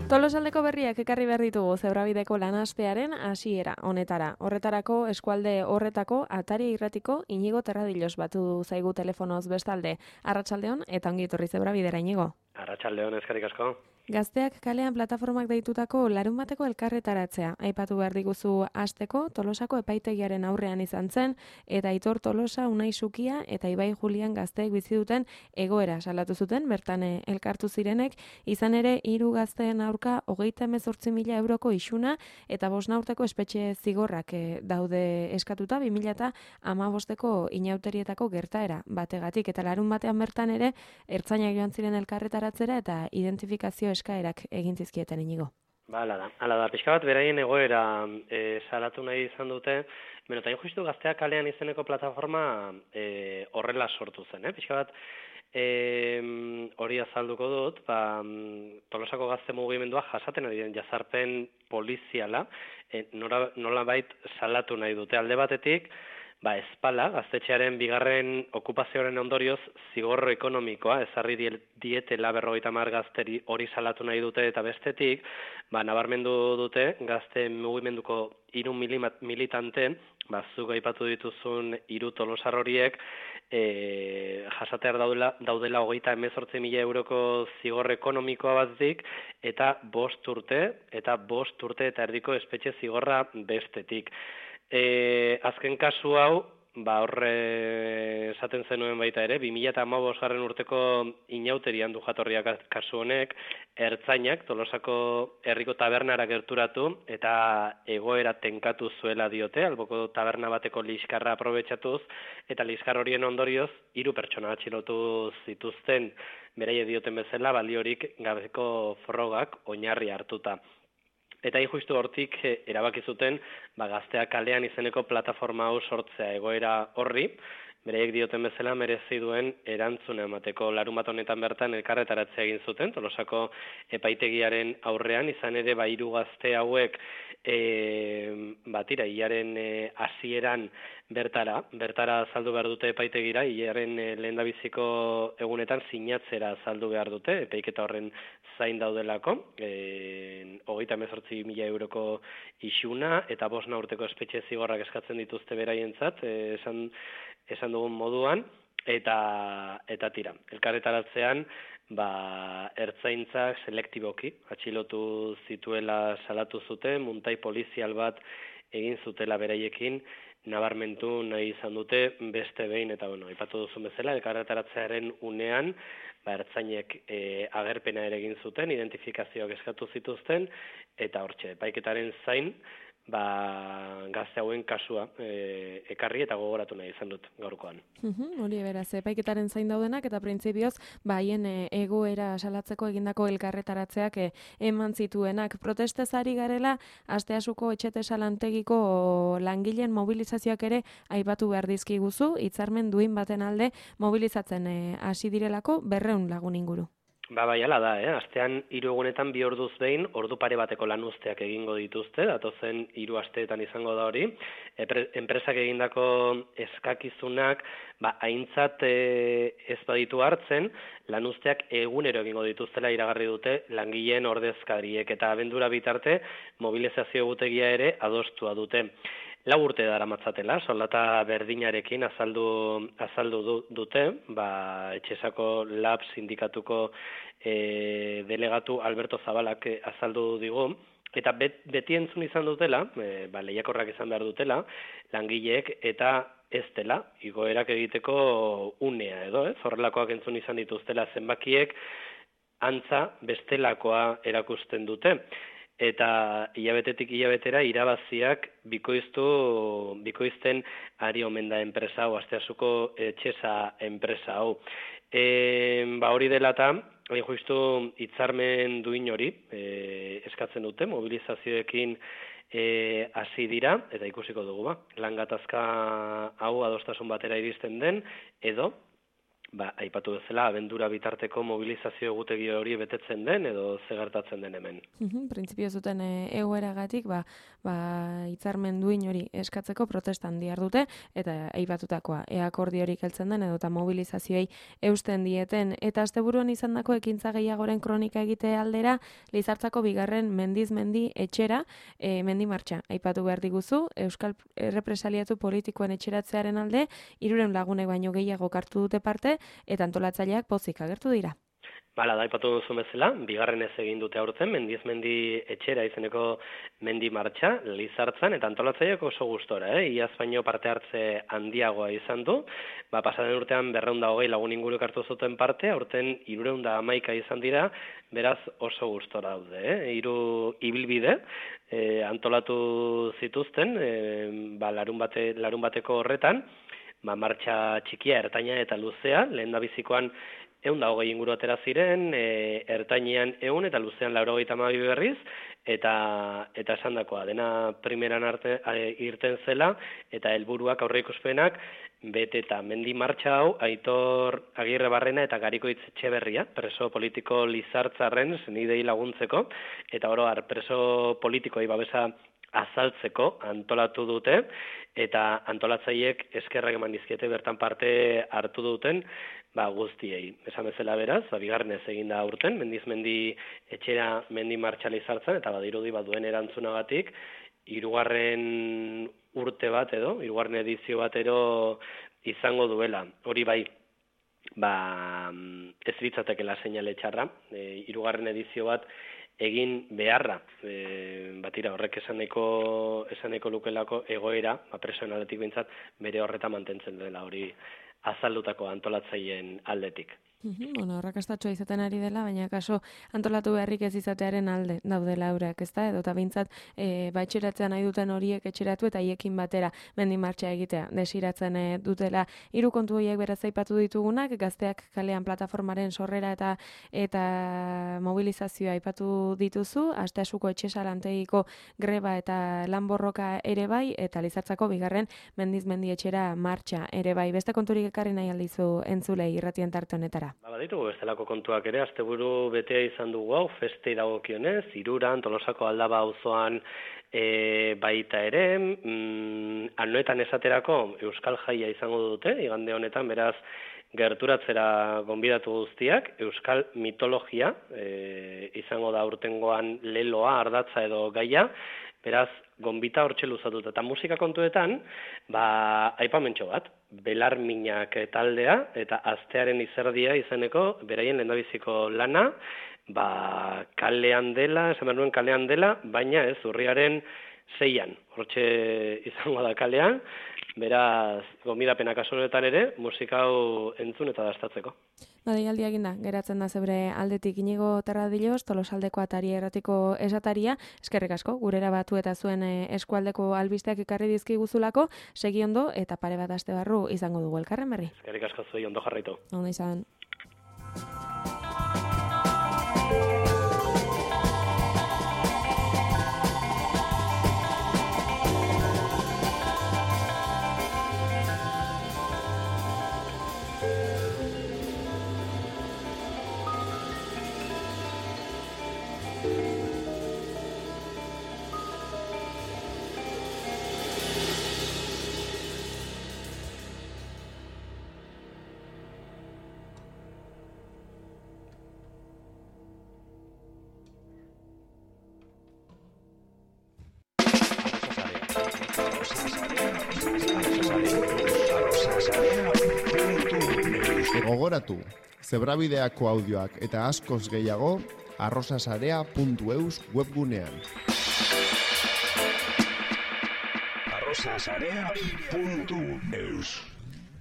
Tolosaldeko berriak ekarri behar ditugu Zebrabideko lanastearen hasiera honetara. Horretarako eskualde horretako Atari irratiko Inigo Terradilos batu zaigu telefonoz bestalde. Arratsaldeon eta ongi etorri Zebrabidera Inigo. Arratsaldeon, eskerrik asko. Gazteak kalean plataformak deitutako larunbateko elkarretaratzea. Aipatu behar diguzu hasteko Tolosako epaitegiaren aurrean izan zen eta Aitor Tolosa, Unai Sukia eta Ibai Julian gazteek bizi duten egoera salatu zuten bertan elkartu zirenek, izan ere 3 gazteen aurka 38.000 euroko isuna eta 5 urteko espetxe zigorrak daude eskatuta 2015ko inauterietako gertaera bategatik eta larun batean bertan ere ertzainak joan ziren elkarretaratzera eta identifikazio eskaerak egin zizkieten Inigo. Hala da, pixka bat beraien egoera salatu nahi izan dute, benotain justu gazteak kalean izeneko plataforma horrela sortu zen, pixka bat hori azalduko dut, Tolosako gazte mugimendua jasaten ari den jazarpen poliziala, nolabait salatu nahi dute alde batetik, espala, gaztetxearen bigarren okupazioaren ondorioz zigorro ekonomikoa, ezarri dietela 50 gazteri hori salatu nahi dute eta bestetik, nabarmendu dute gazte mugimenduko 3 militante, zuk aipatu dituzun 3 tolosar horiek, jasatear daudela 38.000 euroko zigor ekonomikoa batzik, eta 5 urte eta 5 urte eta erdiko espetxe zigorra bestetik. Azken kasu hau, horre esaten zenuen baita ere, 2015 urteko inauterian du jatorriak kasu honek, ertzainak Tolosako herriko tabernara gerturatu eta egoera tenkatu zuela diote, alboko taberna bateko liskarra aprobetxatuz, eta liskar horien ondorioz 3 pertsona atxilotu zituzten, beraie dioten bezala, baliorik gabeko frogak oinarri hartuta. Eta justu hortik erabaki zuten gazteak kalean izeneko plataforma hau sortzea egoera horri, bereiek dioten bezala merezi duen erantzuna emateko. Larunbat honetan bertan elkarretaratzea egin zuten, Tolosako epaitegiaren aurrean, izan ere 3 gazte hauek hilaren hasieran bertara saldu behar dute epaitegira, hilaren lehendabiziko egunetan sinatzera saldu behar dute, epaiketa horren zain daudelako, 38.000 euroko isuna eta 5 urteko espetxe zigorrak eskatzen dituzte beraientzat, esan dugun moduan, eta tira. Elkarretaratzean, ertzaintzak selektiboki atxilotu zituela salatu zuten, muntai polizial bat egin zutela beraiekin, nabarmentu nahi izan dute beste behin, eta aipatu duzun bezala, elkarretaratzearen unean, ertzainek agerpena ere egin zuten, identifikazioak eskatu zituzten, eta hortxe, epaiketaren zain, gazte hauen kasua ekarri eta gogoratu nahi izan dut gaurkoan. Hori beraz, epaiketaren zain daudenak eta printzipioz haien egoera salatzeko egindako elkarretaratzeak eman zituenak. Protestez ari garela, Asteasuko etxetesa lantegiko langileen mobilizazioak ere aipatu behar dizkiguzu, hitzarmen duin baten alde mobilizatzen hasi direlako 200 lagun inguru. Hala da, astean 3 egunetan 2 orduz behin, ordu pare bateko lanuzteak egingo dituzte, datozen 3 asteetan izango da hori. Enpresak egindako eskakizunak, aintzat ez baditu hartzen, lanuzteak egunero egingo dituztela iragarri dute langileen ordezkariek, eta abendura bitarte mobilizazio egutegia ere adostua dute. 4 urte daramatzatela, soldata berdinarekin azaldu dute, Etxesako Lab sindikatuko delegatu Alberto Zabalak azaldu digu, eta beti entzun izan dutela, lehiakorrak izan behar dutela, langileek eta ez dela, igoerak egiteko unea edo, horrelakoak entzun izan dituztela zenbakiek, antza bestelakoa erakusten dute. Eta hilabetetik hilabetera irabaziak bikoizten ari omen da enpresa hau, Asteasuko etxesa enpresa hau. Hori dela eta, justu hitzarmen duin hori eskatzen dute, mobilizazioekin hasi dira, eta ikusiko dugu, lan gatazka hau adostasun batera iristen den, edo aipatu bezala, abendura bitarteko mobilizazio egutegi hori betetzen den edo ze gertatzen den hemen. Printzipio zuten egoeragatik, hitzarmen duin hori eskatzeko protestan dihardute, eta aipatutakoa, akordiorik heltzen den edo eta mobilizazioei eusten dieten, eta asteburuan izandako ekintza gehiagoren kronika egite aldera, Lizartzako bigarren mendiz mendi etxera, mendi martxa. Aipatu behar diguzu, Euskal Errepresaliatu politikoen etxeratzearen alde, 300 lagunek baino gehiago hartu dute parte, eta antolatzaileak pozik agertu dira. Da, aipatu duzu bezala, bigarrenez egin dute aurten, mendiz mendi etxera izeneko mendi martxa, Lizartzan, eta antolatzaileak oso gustora, iaz baino parte hartze handiagoa izan du, pasaden urtean 220 lagun inguruk hartu zuten parte, aurten 311 izan dira, beraz oso gustora daude, 3 ibilbide antolatu zituzten, larun bateko horretan, martxa txikia, ertaina eta luzea, lehen da bizikoan 120 inguru atera ziren, ertainean 100 eta luzean 92 berriz, eta esandakoa, dena primeran irten zela, eta helburuak aurreikuspenak, bete eta mendi martxa hau, Aitor Agirrebarrena eta Garikoitz Etxeberria, preso politiko Lizartzarren senidei laguntzeko, eta oro preso politikoei babesa azaltzeko antolatu dute, eta antolatzaileek eskerrak eman dizkiete bertan parte hartu duten guztiei. Esan bezala beraz, bigarrenez egin da aurten, mendiz mendi etxera mendi martxa Lizartzan, eta badirudi duen erantzunagatik, 3. urte bat edo, 3. edizio bat ero izango duela. Hori bai, ez litzatekela seinale txarra, 3. edizio bat egin beharra, batira horrek esaneko lukelako egoera, presoen aldetik bintzat, bere horreta mantentzen dela hori azaldutako antolatzaileen aldetik. Arrakastatxoa izaten ari dela, baina kaso antolatu beharrik ez izatearen alde daudela eurak, ezta? Edo eta bintzat etxeratzen nahi duten horiek etxeratu eta haiekin batera mendi martxa egitea desiratzen dutela. 3 kontu horiek beraz aipatu ditugunak, gazteak kalean plataformaren sorrera eta mobilizazioa aipatu dituzu, Asteasuko etxesalantegiko greba eta lanborroka ere bai, eta Lizartzako bigarren mendiz mendi etxera martxa ere bai. Beste konturik ekarri nahi aldizu entzulei irratien tarte honetara. Baditugu bestelako kontuak ere, asteburu betea izan dugu hau, festei dagokionez, Hiruran, Tolosako Aldaba auzoan baita ere, anoetan esaterako Euskal Jaia izango dute, igande honetan, beraz, gerturatzera gonbidatu guztiak, Euskal mitologia izango da urtengoan leloa, ardatza edo gaia, beraz, gonbita hortxe luzatuta. Eta musika kontuetan, aipamentxo bat, Belarminak taldea eta Astearen izerdia izeneko beraien lehendabiziko lana, kalean dela, esan behar nuen kalean dela, baina ez urriaren 6an, hortxe izango da kalean, beraz, gonbidapena kasu honetan ere, musika hau entzun eta dastatzeko. Deialdia eginda, geratzen da zebre aldetik Inigo Terradillos, Tolosaldeko atari erratiko esataria, eskerrik asko, gurera batu eta zuen eskualdeko albisteak ekarri dizkiguzulako, segi ondo eta pare bat aste barru izango dugu elkarren berri. Eskerrik asko zuei, ondo jarraitu. Ondo izan. Gogoratu, Zebrabideako audioak eta askoz gehiago arrosasarea.eus webgunean. arrosasarea.eus